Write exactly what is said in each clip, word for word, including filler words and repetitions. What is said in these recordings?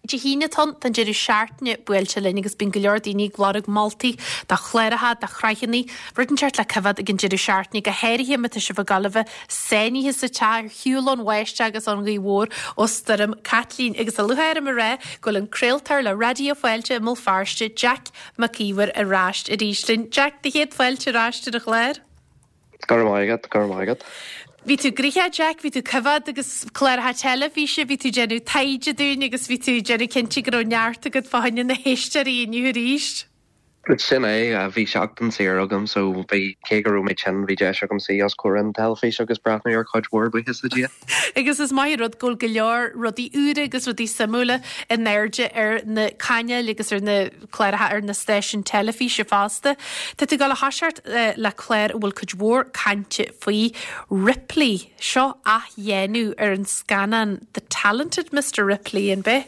Dé hAoine atá ann, tá an deireadh seachtaine buailte linn agus bíonn go leor daoine ag lorg moltaí do chláracha, do shraitheanna, rud inteacht le coimhéad ag an deireadh seachtaine, go háirithe má tá sibh ag gabháil a bheith sáinnithe sa teach ar shiúl ón bháisteach agus ón ghaoth mhór ó Stoirm Caitlín. Agus tá lúcháir orm a rá go bhfuil an craoltóir le Raidió Fáilte i mBéal Feirste, Jack Mac Íomhair ar ais arís linn. Jack, do chéad fáilte ar ais ar an chlár. Go raibh maith agat, go raibh maith agat. Bhí tú gnoitheach Jack, bhí tú coimhéad agus cláracha teilifíse, bhí tú déanamh taighde dúinn agus bhí tú déanamh cinnte go raibh neart agat fá choinne na héisteoirí inniu arís. Sin é bhí seachtain saor agam so bhí cé go raibh mé tinn bhí deis agam suí os comhair an teilifís agus breathnú ar chuid mhór buíochas le Dia. Agus is maith rud go bhfuil go leor rudaí úra agus rudaí suimiúla in airde ar na cainéil agus ar na cláracha ar na stáisiúin teilifíse fosta. Tá tú ag gabháil a thoiseacht le clár a bhfuil cuid mhór cainte faoi Ripley seo athdhéanamh ar an scannán The Talented Mr. Ripley an b'ea.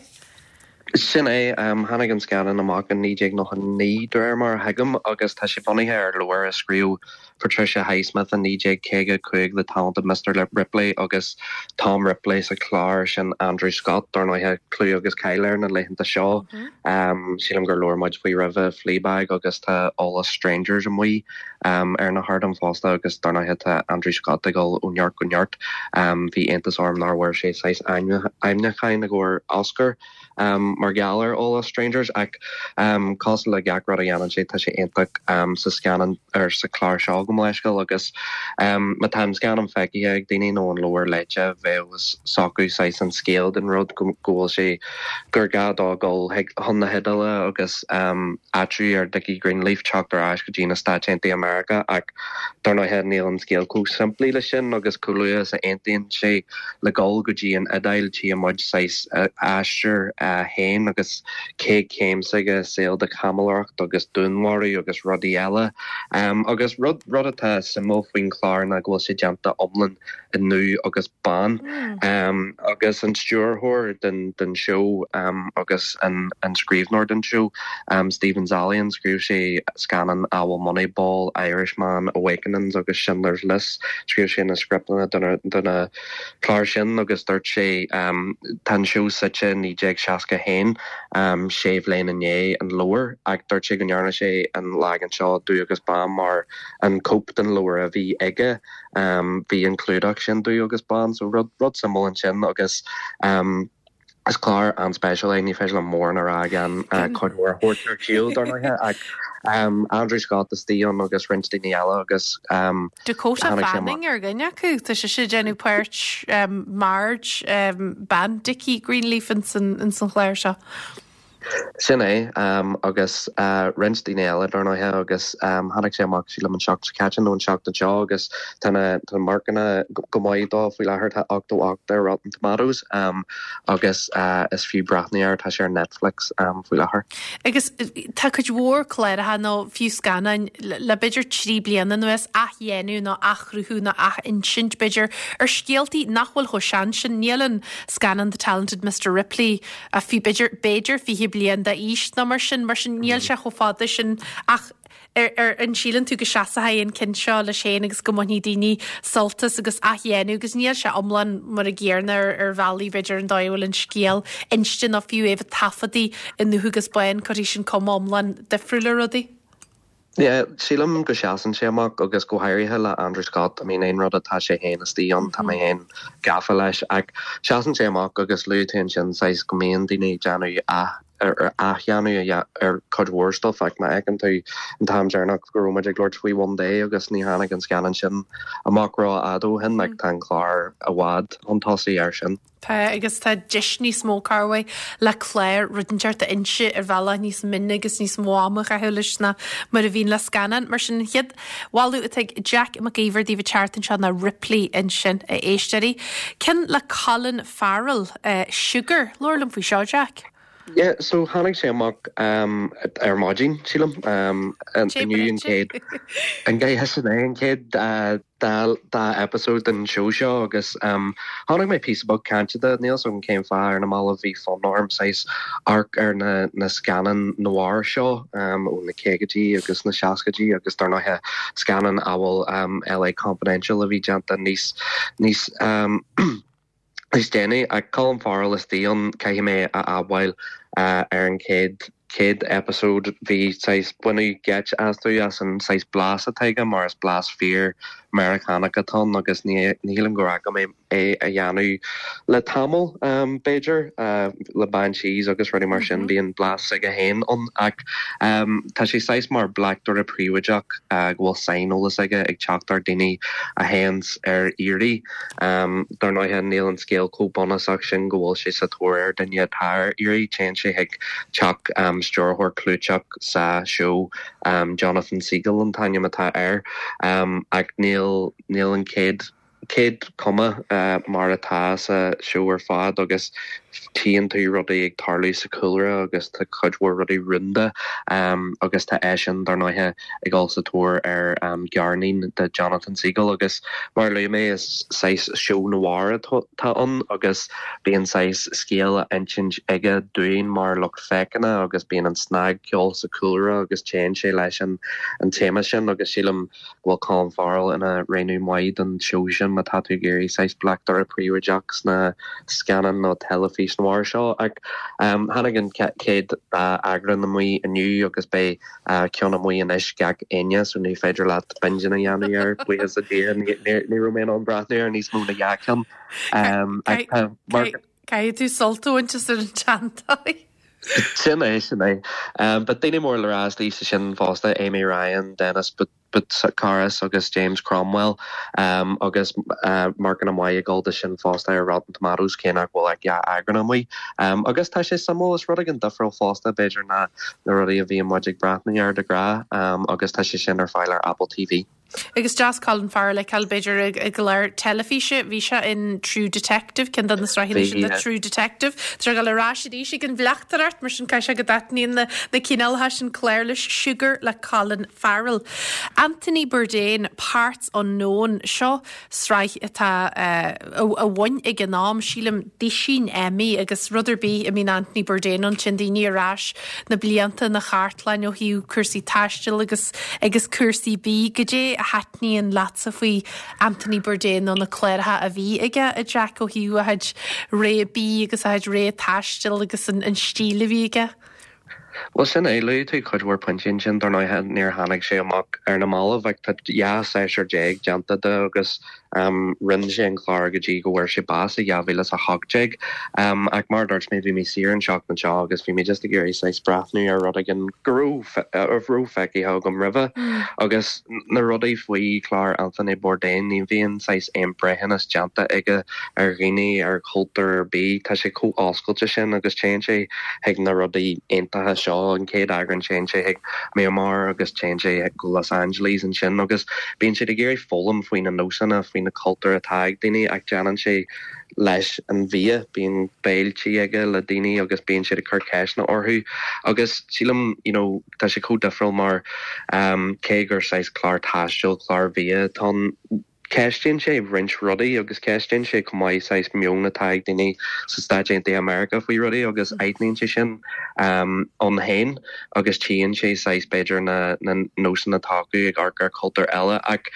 Sin é um, tháinig an scannán amach in naoi déag nócha naoi de réir mar a thuigim agus tá sé bunaithe ar leabhar a scríobh Patricia Highsmith in naoi déag caoga cúig The Talented Mr. Ripley agus Tom Ripley sa chlár sin Andrew Scott dar ndóigh clú agus cáil air na laethanta seo. Mm -hmm. um, sílim gur labhair muid faoi roimhe Fleabag agus tá All Us Strangers amuigh um, ar na hardáin fosta agus dar ndóigh tá Andrew Scott ag dul ó neart go neart. Um, bhí iontas orm nár bhfuair sé saghas ainmniúchán i gcomhair Oscar. Um, mar gheall ar All Us Strangers ach um, cosúil le gach rud a dhéanann sé tá sé iontach um, sa scannán ar sa chlár seo go leiscail agus um, má tá an scannán feicthe ag daoine nó an leabhar léite bheadh s'acu saghas an scéal den rud go bhfuil sé gur gá dó dul chun na hIodáile agus um, áitiú ar Dickie Greenleaf teacht ar ais go dtí na Stáit Aontaithe America ach dar ndóigh níl an scéal chomh simplí le sin agus chomh luath is a aontaíonn sé le dul go dtí an Iodáil tí muid saghas aistear féin agus cé céim aige saol de chaimiléireacht agus dúnmharú agus rudaí eile. Um, agus rud rud atá suimiúil faoin chlár ná go bhfuil sé déanta iomlán i ndubh agus bán. Mm. Um, agus an stiúrthóir den, den show um, agus an, an scríbhneoir den show um, Steven Zaillian scríobh sé scannáin amhail Moneyball, Irishman, Awakenings agus Schindler's List, scríobh sé na scripteanna do na cláir sin agus dúirt sé um, tá an show suite naoi déag seasca haon um, sé bhliain i ndiaidh an leabhar ach dúirt sé go ndearna sé an leagan seo dubh agus bán mar an cóip den leabhar a bhí aige um, bhí an clúdach sin dubh agus bán so rud, rud suimiúil ansin agus um, is clár an-speisialta é ní féidir liom mórán a rá gan uh, cuid mhór a thabhairt ar shiúl dar ndóigh ach um, Andrew Scott istigh ann agus roinnt daoine eile agus um, Dakota Fanning ar dhuine acu Tá sé sé déanamh páirt um, Marge um, bean Dickie Greenleaf in san, in san chlár seo. Sin é um, agus uh, roinnt daoine eile dar ndóigh agus um, tháinig sé amach sílim an seachtain seo caite nó an seachtain seo agus tá tá marcanna go maith dó faoi láthair tá ochtó ocht ar Rotten Tomatoes um, agus uh, is fiú breathnú air tá sé ar Netflix um, faoi láthair. Agus tá cuid mhór cláracha nó fiú scannáin le b'fhéidir trí bliana anuas athdhéanamh nó athchruthú nó athinsint b'fhéidir ar scéaltaí nach bhfuil chomh sean sin níl an scannán The Talented Mr. Ripley a fi b'fhéidir b'fhéidir fiche bliain d'aois nó mar sin mar sin níl sé chomh fada sin ach ar, ar an síleann tú go seasfaidh an ceann seo leis féin agus go mbainfidh daoine sult as agus athdhéanamh agus níl sé iomlán mar a gcéanna ar, ar bhealaí b'fhéidir an dóigh a bhfuil an scéal inste nó fiú é bheith taifeadta i ndubh agus bán cuirfidh sin cuma iomlán difriúil ar rudaí. Yeah, sílim go seasann sé amach agus go háirithe le Andrew Scott, I mean aon rud atá sé féin istigh ann tá mé féin gafa leis ach seasann sé amach agus luaigh tú ansin saghas go mbíonn daoine déanamh a ar athdhéanamh ar cuid mhór stuff ach má fheiceann tú an t-am deireanach go raibh muid ag labhairt faoi One Day agus ní tháinig an scannán sin amach rófhada ó shin like, tá an clár i bhfad chun tosaigh air sin. Tá agus tá deis níos mó carway le clár rud inteacht a inse ar bhealach níos mine agus níos mó ama a leis ná mar a bhíonn le scannán mar sin chéad mholadh atá ag Jack Mac Íomhair daoibh an tseachtain seo ná Ripley ansin a éisteoirí. Ceann le Colin Farrell uh, Sugar labhair liom faoi seo Jack. Yeah, so tháinig sé amach um, ar maidin sílim um, inniu an chéad an gé sin é an chéad uh, dá dá episode den show seo agus um, tháinig mé píosa beag cainte de níl an cén fáth ar na mall bhí fonn orm saghas amharc ar na, na scannáin noir seo um, ó na caogaidí agus na seascaidí agus dar ndóigh scannáin amhail um, LA Confidential a bhí déanta níos níos um, Is déanaí ach Colin Farrell istigh ann caithfidh mé a admháil uh, ar an chéad chéad episode bhí saghas baineadh geit astu as an saghas blas atá aige mar is blas fíor Meiriceánach atá ann agus ní shílim go raibh mé é a dhéanamh le tamall um, b'fhéidir uh, le Banshees agus rudaí mar sin mm -hmm. bíonn blas aige féin ann ach um, tá sé saghas mar bleachtaire príobháideach uh, go bhfuil saineolas aige ag teacht ar daoine a théann ar iarraidh um, dar ndóigh níl an scéal chomh bunúsach sin go bhfuil sé sa tóir ar duine atá ar iarraidh téann sé chuig teach um, stiúrthóir clúiteach sa seó um, Jonathan Siegel an t-ainm atá air um, ach níl níl an chéad chéad cuma uh, mar atá sa seó ar fad agus tchíonn tú rudaí ag tarlú sa chúlra agus tá cuid mhór rudaí rúnda um, agus tá eisean dar ndóigh ag dul sa tóir ar um, gariníon de Jonathan Siegel agus mar luaigh mé is saghas seó noir atá ann agus bíonn saghas scéal á insint aige dúinn mar lucht féachana agus bíonn an snagcheol sa chúlra agus téann sé leis an an téama sin agus sílim go bhfuil Colin Farrell ina rogha maith don seó sin má tá tú ag iarraidh saghas bleachtaire príobháideach sna scannáin nó teilifís noir seo ach um, tháinig an chéad eagrán amach inniu agus beidh uh, ceann amach anois gach Aoine so ní féidir leat binge a dhéanamh air buíochas le Dia ní raibh mé in ann breathnú ar níos mó ná dhá cheann. Um, Caithfidh tú sult a bhaint as ar an teanntáí. Sin é sin é. Um, but daoine mór le rá sa sin fosta Amy Ryan, Dennis but Butsukaris agus James Cromwell um, agus uh, marc an-mhaith ag dul sin fosta ar Rotten Tomatoes cé nach bhfuil ach dhá eagrán amuigh. Um, agus tá sé suimiúil is rud an difriúil fosta b'fhéidir na na rudaí a bhí muid ag breathnú air de ghnáth um, agus tá sé sin ar fáil ar Apple TV. Agus deas Colin Farrell le feiceáil b'fhéidir i gclár teilifíse bhí sé in True Detective ceann de na sraitheanna sin de True Detective Tá go rá sé an bhleachtaireacht mar sin cai se go dtaitníonn na na cineálcha sin clár leis Sugar le Colin Farrell. Anthony Bourdain Parts Unknown seo sraith atá uh, a bhain ag an am sílim duaiseanna Emmy agus rud ar bith a mbíonn Anthony Bourdain ann sin daoine ar ais na blianta na cartlann ó thaobh cúrsaí taistil agus agus cúrsaí bídh goidé a thaitníonn leatsa faoi Anthony Bourdain nó na cláracha a bhí aige a Jack ó thaobh a chuid ré bídh agus a chuid ré taistil agus an, an stíl a bhí aige. Well sin é luaigh tú cuid mhór pointí sin dar ndóigh níor tháinig sé amach ar na mallaibh ach tá dhá séasúr déag déanta de agus um, rinne sé an clár go dtí go bhfuair sé bás i dhá mhíle a hocht déag. Um, ach mar dúirt mé bhí mé saor an seachtain seo agus bhí mé just ag iarraidh saghas breathnú ar rud éigin go raibh feicthe agam roimhe mm. agus na rudaí faoi chlár Anthony Bourdain ní bhíonn saghas aon breithiúnas déanta aige ar dhaoine ar chultúr ar bith tá sé chomh oscailte sin agus téann sé chuig na rudaí iontacha seo an chéad eagrán téann sé chuig Myanmar agus téann sé go Los Angeles ansin agus bíonn sé ag iarraidh foghlaim faoi na nósanna faoi na cultúr atá ag daoine ach déanann sé leis an bhia bíonn béiltí aige le daoine agus bíonn sé ag cur ceisteanna orthu agus sílim you know, tá sé chomh difriúil mar um, cé gur saghas clár taistil clár bia tá ceistíonn sé roinnt rudaí agus ceistíonn sé chomh maith saghas meon atá ag daoine sa Stáit Aontaithe America faoi rudaí agus aithníonn sé sin um, ann féin agus tchíonn sé saghas b'fhéidir na, na nósanna atá acu ag amharc ar cultúr eile ach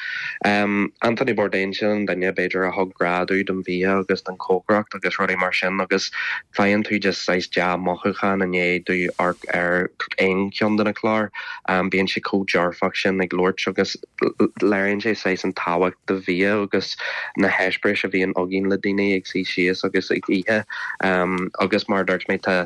um, Anthony Bourdain sin an duine b'fhéidir a thug grá don bhia agus don chócaireacht agus rudaí mar sin agus faigheann tú just saghas dea-mhothúchán i ndiaidh duit amharc ar aon cheann de na cláir um, bíonn sé chomh dearfach sin ag labhairt agus léiríonn sé saghas an tábhacht de bhia agus na heispéiris a bhíonn againn le daoine ag suí síos agus ag ithe um, agus mar dúirt mé tá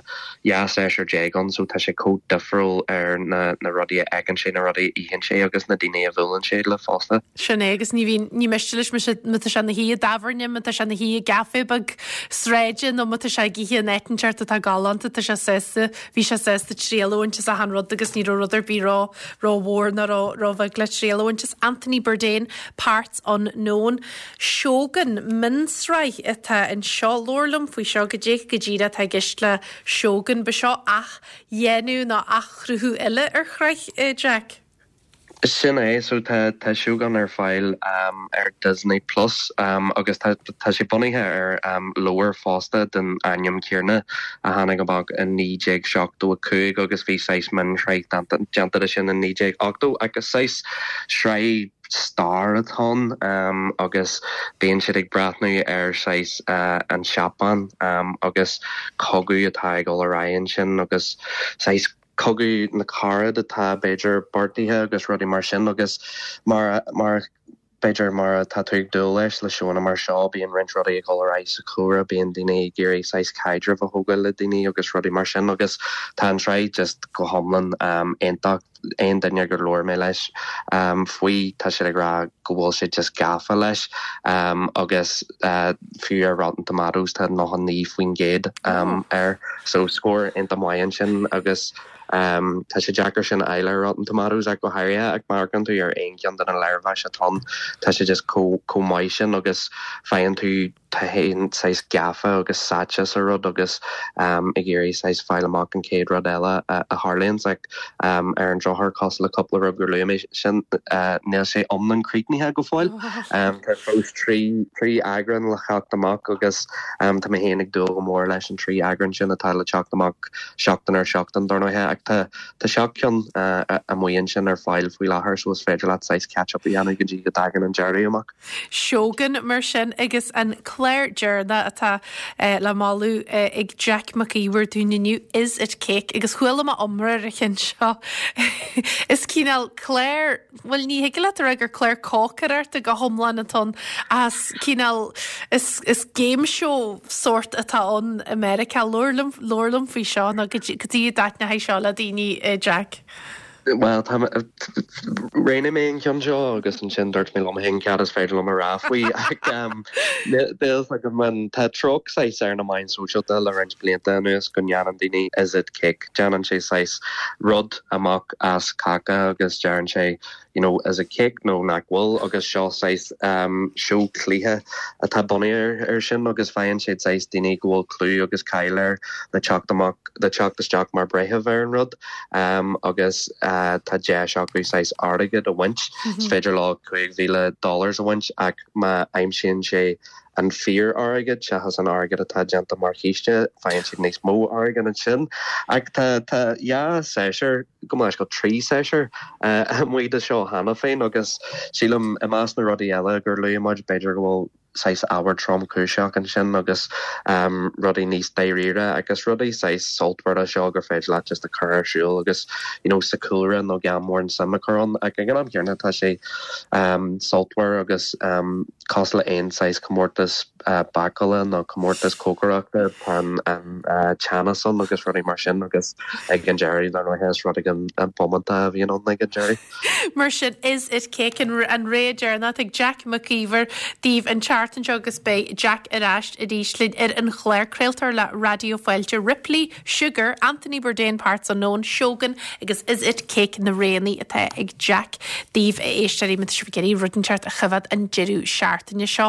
dhá séasúr déag ann so tá sé chomh difriúil ar na, na rudaí a fheiceann sé na rudaí a itheann sé agus na daoine a bhuaileann sé le fosta. Sin é agus ní bhíonn ní miste leis má tá sé ina shuí i dtábhairne má tá sé ina shuí i gcaife beag sráide nó má tá sé ag ithe in áit inteacht atá galánta tá sé sásta bhí sé sásta triail a bhaint as achan rud agus ní raibh rud ar bith ró rómhór ná róbheag le triail a bhaint as Anthony Bourdain Parts Unknown. Shogun mionsraith atá anseo labhair liom faoi seo goidé go díreach atá i gceist le Shogun ba seo athdhéanamh nó athchruthú eile ar shraith eh, Jack. Sin é so tá tá Shogun ar fáil um, ar Disney Plus um, agus tá tá sé bunaithe ar um, leabhar fosta den ainm céanna a tháinig amach in naoi déag seachtó a cúig agus bhí saghas mionshraith déanta sin in naoi déag ochtó agus saghas sraith stair atá ann agus bíonn siad ag breathnú ar saghas an Seapáin agus cogadh atá ag dul ar aghaidh ansin agus saghas cogadh na carad atá b'fhéidir beartaithe agus rudaí mar sin agus mar mar b'fhéidir mar atá tú ag dúil leis le seónna mar seo bíonn roinnt rudaí ag dul ar aghaidh sa chúlra bíonn daoine ag iarraidh saghas caidreamh a thógáil le daoine agus rudaí mar sin agus tá an tsraith just go hiomlán um, iontach aon duine gur labhair mé leis um, faoi tá sé ag rá go bhfuil sé just gafa leis um, agus uh, fiú ar Rotten Tomatoes tá nócha naoi faoin gcéad um, air so scór iontach maith ansin agus Um, tá sé deacair sin a fháil ar Rotten Tomatoes ach go háirithe ach má amharcann tú ar aon cheann de na léirmheas atá tá sé just chomh maith sin agus faigheann tú tú féin saghas gafa agus sáite sa rud agus um, ag iarraidh saghas fáil amach an chéad rud eile a, a tharlaíonn ach um, ar an drochuair cosúil le cúpla rud gur luaigh mé sin uh, níl sé iomlán críochnaithe go fóill. Um, tá fós trí trí eagrán le teacht amach agus um, tá mé féin ag dúil go mór leis an trí eagrán sin atá le teacht amach seachtain ar seachtain dar ndóigh ach tá tá seacht gceann uh, amuigh ansin ar fáil faoi láthair so is féidir leat saghas catch up a dhéanamh go dtí go dtagann an deireadh amach. Shogun mar sin agus an clár deireanach atá uh, le moladh uh, ag Jack Mac Íomhair dúinn inniu Is It Cake agus chuala mé iomrá ar an cheann seo. Is cineál clár bhuel ní thig leat a rá gur clár cócaireachta go hiomlán atá ann as cineál is, is game show sort atá ann America labhair liom faoi seo nó go dtí dtaitneoidh seo le daoine uh, Jack. Well roghnaigh mé an ceann seo agus ansin dúirt mé liom féin cad is féidir liom a rá faoi go man tá treocht saghas ar na meáin sóisialta le roinnt blianta anuas go ndéanann daoine is it cake déanann sé saghas rud amach as cáca agus deireann sé you know is it cake nó nach bhfuil agus seo saghas um, seó cluiche atá bunaithe ar sin agus faigheann sé saghas daoine go bhfuil clú agus cáil air le teacht amach le teacht isteach mar breitheamh ar an rud um, agus uh, tá deis acu saghas airgead a bhaint mm -hmm. féidir leo cúig mhíle dollars a bhaint ach má aimsíonn sé an fíor-airgead seachas an airgead atá déanta mar chíste faigheann siad níos mó airgead ansin ach tá tá ja séir go leis go trí séir amuigh de seo cheana féin agus sílim i measc na rudaí eile gur luaigh muid b'fhéidir go bhfuil saghas ábhar tromchúiseach ansin agus um, rudaí níos dáiríre agus rudaí saghas sultmhara seo gur féidir leat just a chur ar siúl agus you know, sa cúlra nó gan mórán suim a chur ann ag an am céanna tá sé um, sultmhar agus um, cosúil le aon saghas comórtas uh, bácála nó comórtas cócaireachta an an uh, teannas ann agus rudaí mar sin agus ag an deireadh le rud an an bómanta a bhíonn ann ag an deireadh. Mar sin is it cake an, an rogha deireanach ag Jack Mac Íomhair daoibh an tseachtain seo agus beidh Jack ar ais arís linn ar an chlár craoltóir le Raidió Fáilte Ripley, Sugar, Anthony Bourdain Parts Unknown, Shogun agus is it cake na roghanna atá ag Jack daoibh a éisteoirí má tá sibh ag iarraidh rud inteacht a choimhéad an deireadh seachtaine seo.